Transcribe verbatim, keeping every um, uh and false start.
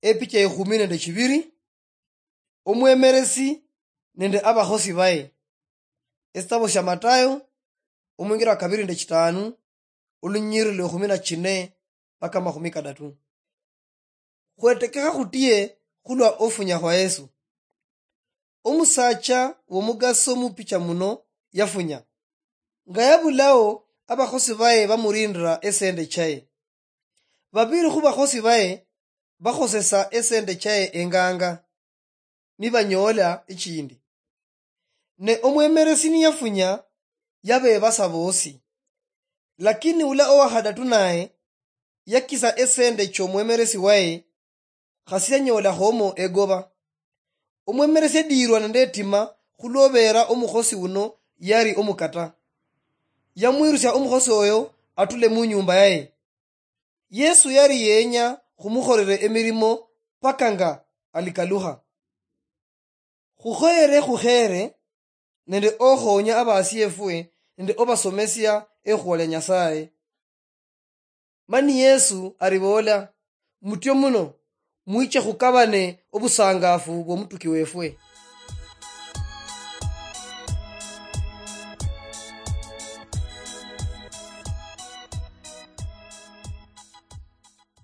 Epicha ekhumi nende chibiri, omwemeresi nende abakhosi baye. Esitabo sia Matayo, omwingiro wa kabiri nende chitanu, olunyiriri lwa ekhumi na chine mpaka amakhumi kadatu. Khwetekekha khutie khulwa ofunya khwa Yesu. Omusacha womugaso mupicha muno yafunya. Nga yabulao, abakhosi baye bamurindira esende chaye. Babiri khubakhosi baye bakhosesa esende chaye enganga, nibanyoola echindi. Ne omwemeresi niyafunya, yabebasa boosi. Lakini ula owakhadatu naye yakisa esende chomwemeresi waye, khasi yanyoolakhomo egoba. Omwemeresi yadiirwa nende etima khulwobeera omukhosi uno yali omukata. Yamwirusia omukhosi oyo atule munyumba yaye. Yesu yali yenya khumukholera emirimo paka nga alikalukha. Khukhoyere khukhere nende okhoonya abasiefwe nende obasomesia ekhuwa lia Nyasaye. Mani Yesu ariboola, "Mutyo muno, mwiche khukabane obusangafu bwomutuki wefwe."